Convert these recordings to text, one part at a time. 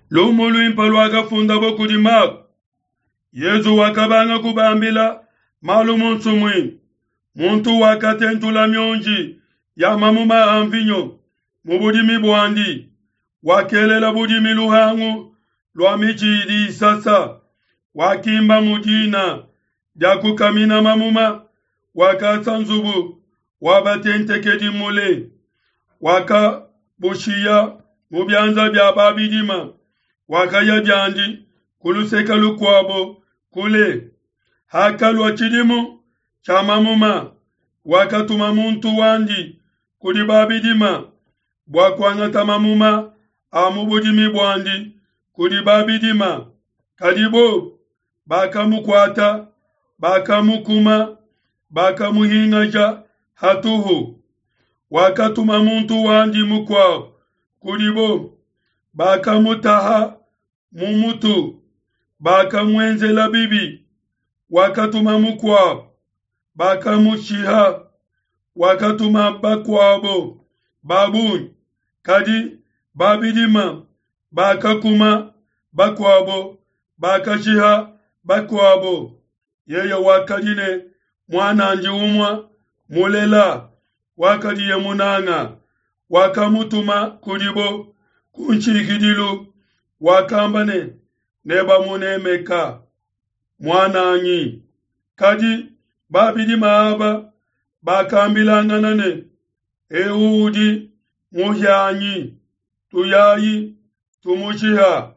Lumu luimpe luakafundabo kudi Mako. Yezu wakabanga kubambila malu mu nsumuinu. Muntu wakatentula mionji ya mamuma a mvinyo mu budimi buandi, wakelela budimi luhangu lua mitshi idi isasa, wakimba mu dina dia kukamina mamuma, wakasa nzubu wa batentekedi mule, wakabushiya mu bianza bia babidima, wakaya biandi ku luseke lukuabo kule. Hakalua tshidimu tshia mamuma, wakatuma muntu wandi kudi babidima bua kuangata mamuma a mu budimi buandi kudi babidima. Kadi bobo bakamukuata, bakamukuma, bakamuhingaja hatuhu. Wakatuma muntu wandi mukuabo kudibo, bakamutaha mu mutu, bakamuenzela bibi. Wakatuma mukuabo, bakamushiha. Wakatuma bakuabo ba bungi, kadi babidima bakakuma bakuabo, bakashiha bakuabo. Yeye wakadi ne muan'andi umue mulela, wakadiye munanga, wakamutuma kudibo ku nshikidilu, wakamba ne, Nebamunemeka muan'anyi. Kadi babidima aba bakambilangana ne, Eu udi muhianyi, tuyayi tumushiha,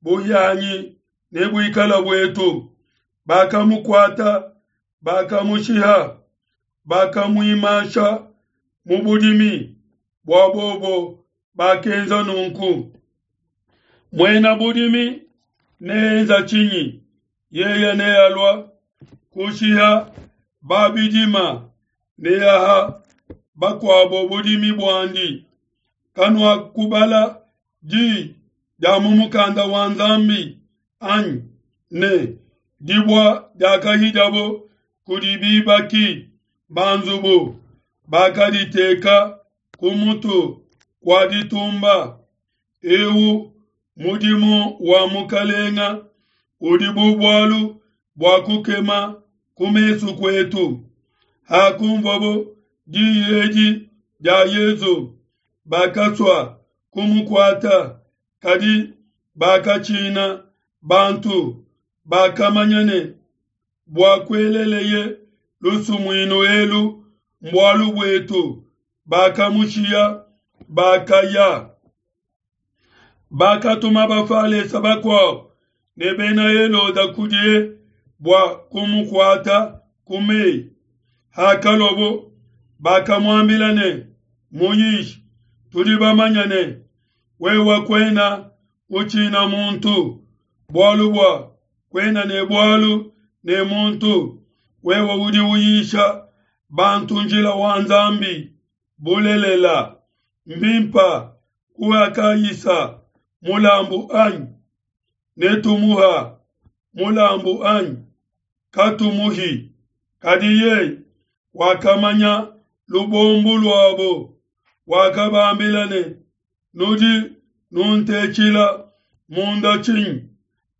buhianyi nebuikala buetu. Bakamukuata, bakamushiha, bakamuimasha mu budimi. Bua bobo bakenza nunku. Muena budimi neenza tshinyi? Yeye nealua kushiha babidima, neaha bakuabo budimi buandi. Kanuakubala di dia mu mukanda wa Nzambi anyi ne, Dibua diakahidiabo kudi bibaki ba nzubu, bakaditeka ku mutu kua ditumba. Eu mudimu wa Mukalenga udi bu bualu bua kukema ku mesu kuetu. Hakunvuabo diyi edi dia Yezu, bakasua kumukuata, kadi bakatshina bantu, bakamanya ne, bua kueleleye lusumuinu elu mbualu buetu, bakamushiya, bakaya. Bakatuma Bafalesa bakuabo ne Bena Heloda kudiye bua kumukuata ku meyi. Hakaluabo, bakamuambila ne, Muyishi, tudi bamanye ne, wewe kuena utshina muntu, bualu bua kuena ne bualu ne muntu, wewe udi uyisha bantu njila wa Nzambi bulelela. Mbimpa kuha Kaisa mulambu anyi? Netumuha mulambu anyi? Katumuhi. Kadi yeye wakamanya lubombu luabo, wakabambila ne, Nudi nuntetshila munda tshinyi?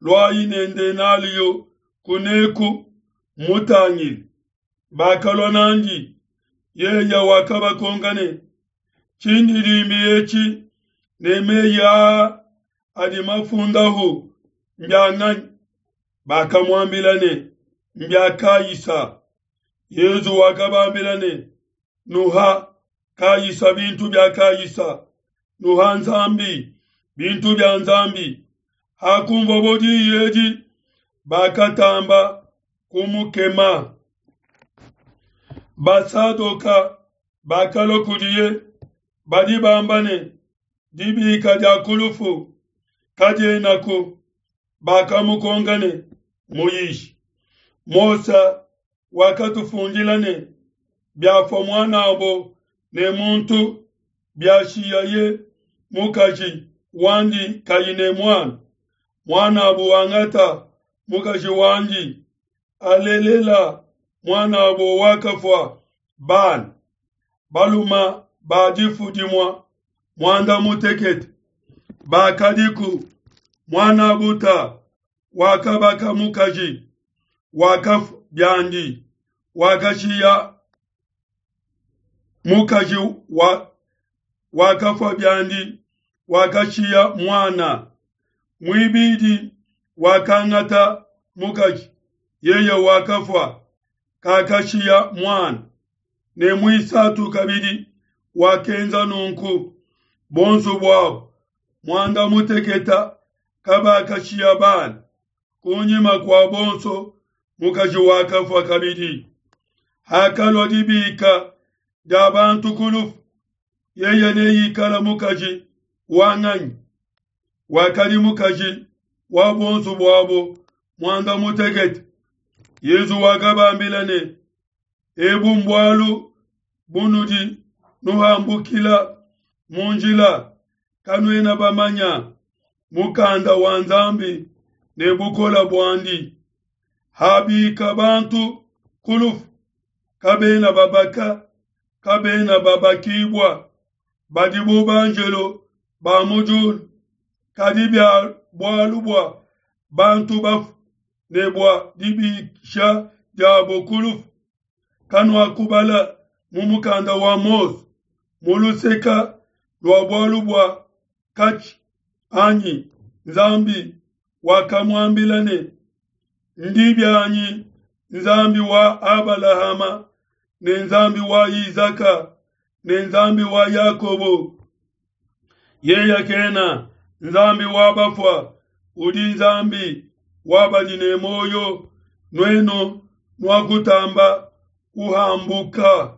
Luayi ne ndenaliyo kuneku mutangile. Bakalua nandi. Yeye wakabakonka ne, Tshindidimbi etshi ne meyi aa adi mafundahu mbia nganyi? Bakamuambila ne, Mbia Kaisa. Yezu wakabambila ne, Nuha Kaisa bintu bia Kaisa, nuha Nzambi bintu bia Nzambi. Hakunvuabo diyi edi, bakatamba kumukema. Basadoka bakalua kudiye, badi bamba ne, Dibika dia ku lufu kadienaku. Bakamukonka ne, Muyishi, Mose wakatufundila ne, Biafua muan'abo ne muntu, biashiyaye mukaji wandi kayi ne muana, muan'abo wangata mukaji wandi, alelela muan'abo wakafua bana baluma ba difu dimua muanda mutekete bakadiku. Muan'a wakabaka mukaji, wakafua biandi, wakashiya mukaji wa wakafua biandi, wakashiya muana. Muibidi wakangata mukaji, yeye wakafua, kakashiya muana. Ne muisatu kabidi wakenza nunku. Bonso buabo muanda muteketa kabakashiya bana. Kunyima kua bonso mukaji wakafua kabidi. Hakalua dibika dia bantu ku lufu, yeye neikala mukaji wa nganyi? Wakadi mukaji wa bonso buabo muanda mutekete. Yezu wakabambila ne, Ebu mbualu bunudi nuhambukila mu njila, kanuena bamanya mukanda wa Nzambi ne bukole buandi. Habika bantu ku lufu, kabena babaka, kabena babakibua, badi bu banjelo ba mu diulu. Kadi bia bualu bua bantu bafu ne bua dibisha diabo ku lufu, kanuakubala mu mukanda wa Mose mu luseka lua bualu bua katshi anyi? Nzambi wakamuambila ne, Ndi bianyi Nzambi wa Abalahama ne Nzambi wa Isaka ne Nzambi wa Yakobo. Yeye kena Nzambi wa bafua, udi Nzambi wa badi ne muoyo. Nuenu nuakutamba kuhambuka.